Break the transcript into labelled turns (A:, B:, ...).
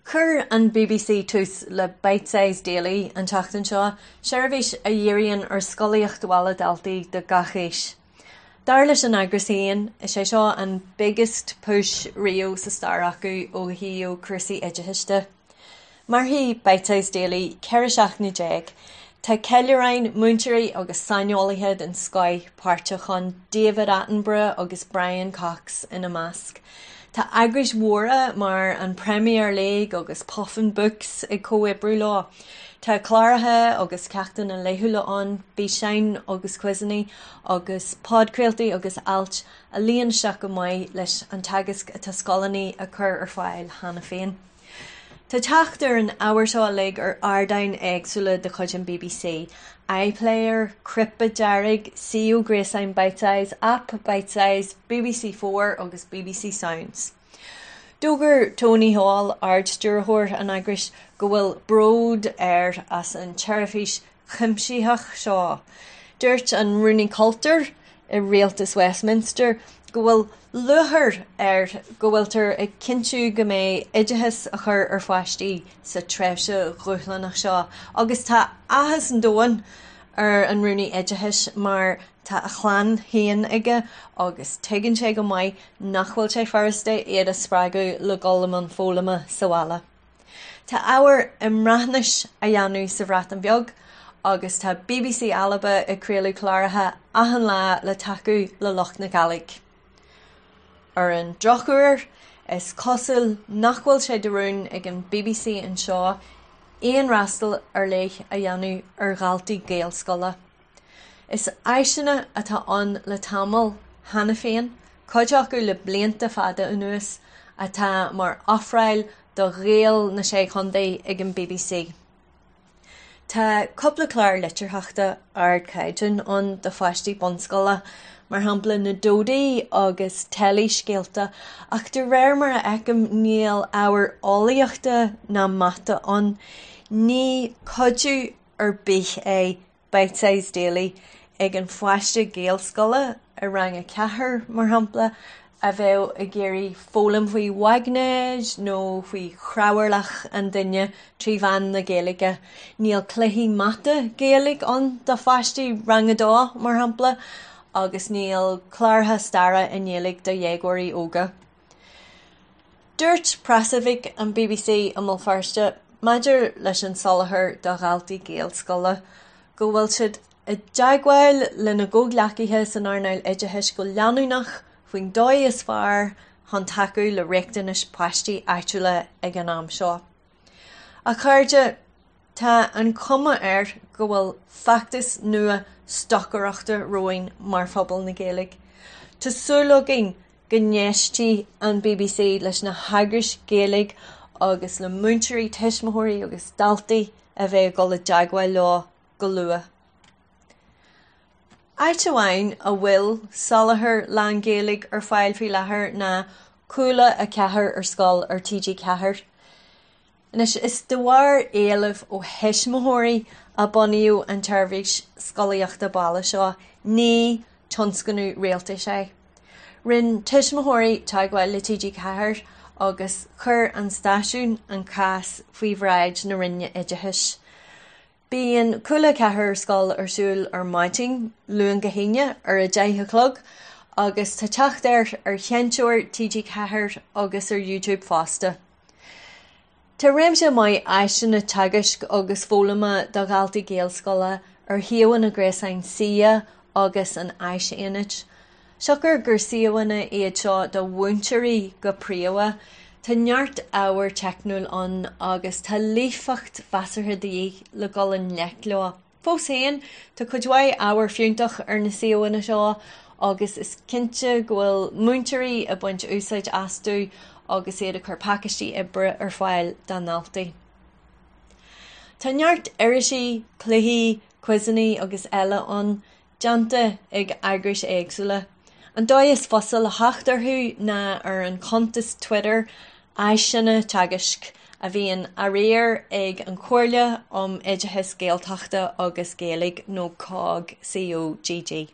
A: Chuir an bbc tús le Bitesize Daily an tseachtain seo, seirbhís a dhíríonn ar scolaíocht bhaile daltaí de gach aois. Dar leis an eagras féin, is é seo an biggest push riamh sa stair acu ó thaobh cúrsaí oideachais de. Mairfidh Bitesize Daily 14 seachtaine. Tá ceiliúráin, múinteoirí agus saineolaithe den scoith páirteach ann, David Attenborough agus Brian Cox ina measc. Tá eagrais mhóra mar an Premier League agus Puffin Books ag comhoibriú leo. Tá cláracha agus ceachtanna laethúla ann, físeáin agus quizeanna agus podchraoltaí agus ailt a luíonn isteach go maith leis an teagasc atá scoileanna ag cur ar fáil cheana féin. Tá teacht ar an ábhar seo uilig ar ardáin éagsúla de chuid an bbc, iPlayer, Cnaipe Dearg, suíomh gréasáin Bitesize, aip Bitesize, bbc Four agus bbc Sounds. D'fhógair Tony Hall, Ard-Stiúrthóir an eagrais, go bhfuil bród air as an tseirbhís chuimsitheach seo. Dúirt an Rúnaí Cultúir i Rialtas Westminster go bhfuil lúcháir air go bhfuiltear ag cinntiú go mbeidh oideachas á chur ar pháistí sa tréimhse dhúshlánach seo agus tá áthas an domhain ar an Rúnaí Oideachais mar tá a chlann féin aige agus tuigeann sé go maith nach bhfuil sé furasta iad a spreagadh le dul i mbun foghlama sa bhaile. Tá ábhar i mBreatnais á dhéanamh sa Bhreatain Bheag agus tá bbc Alba ag craoladh cláracha achan lá le tacú le lucht na Gàidhlig. Ar an drochuair, is cosúil nach bhfuil sé de rún ag an bbc anseo aon fhreastal ar leith a dhéanamh ar dhaltaí Gaelscoile. Is áiseanna atá ann le tamall cheana féin, cuid acu le blianta fada anuas, atá mar ofráil do Ghaeil na Sé Chontae ag an bbc. Tá cúpla clár litearthachta ardchaighdeáin ann do pháistí bunscoile, mar shampla Na Dódaí agus Teilí-Scéalta, ach de réir mar a fheicim níl ábhar eolaíochta ná mata ann. Ní cuidiú ar bith é Bitesize Daily ag an pháiste Gaelscoile i rang 4, mar shampla, a bheadh ag iarraidh foghlaim faoi mhaighnéid nó faoi chnámharlach an duine trí mheán na Gaeilge. Níl cluichí mata Gaeilge ann do pháistí rang 2, mar shampla, agus níl cláracha staire i nGaeilge do dhéagóirí óga. Dúirt preasoifig an bbc i mBéal Feirste maidir leis an soláthar do dhaltaí Gaelscoile go bhfuil siad i dteagmháil lena gcomhghleacaithe san earnáil oideachais go leanúnach faoin dóigh is fearr chun tacú le riachtanais páistí áitiúla ag an am seo. A chairde, tá an chuma air go bhfuil feachtas nua stocaireachta romhainn mar phobal na Gaeilge. Tá súil againn go n-éistfidh an bbc leis na heagrais Ghaeilge agus le múinteoirí, tuismitheoirí agus daltaí a bheidh ag dul i dteagmháil leo go luath. Áit amháin a bhfuil soláthar lán-Ghaeilge ar fáil faoi láthair ná Cúla 4 ar Scoil ar TG4. Anois, is de bharr éilimh ó thuismitheoirí a bunaíodh an tseirbhís scolaíochta baile seo, ní tionscnamh rialtais é. Rinne tuismitheoirí teagmháil le TG4 agus chuir an stáisiún an cás faoi bhráid na Roinne Oideachais. Bíonn Cúla 4 ar Scoil ar siúl ar maidin, Luan go hAoine, ar 10 a chlog agus tá teacht air ar sheinnteoir TG4 agus ar YouTube fosta. Tá réimse maith áiseanna teagaisc agus foghlama do dhaltaí Gaelscoile ar shuíomhanna gréasáin SEA agus an Áisaonaid. Siocair gur suíomhanna iad seo do mhúinteoirí go príomha, tá neart ábhar teicniúil ann agus tá líofacht mheasartha de dhíth le dul i ngleic leo. Fós féin, tá cuid mhaith ábhar fiúntach ar na suíomhanna seo agus is cinnte go bhfuil múinteoirí ag baint úsáid astu agus iad ag cur pacáistí oibre ar fáil dá ndaltaí. Tá neart irisí, cluichí, quizeanna agus eile ann déanta ag eagrais éagsúla. An dóigh is fusa le theacht orthu ná ar an chuntas Twitter Áiseanna Teagaisc, a bhíonn á riar ag an Chomhairle um Oideachas Gaeltachta agus Gaeilge nó cogg, COGG.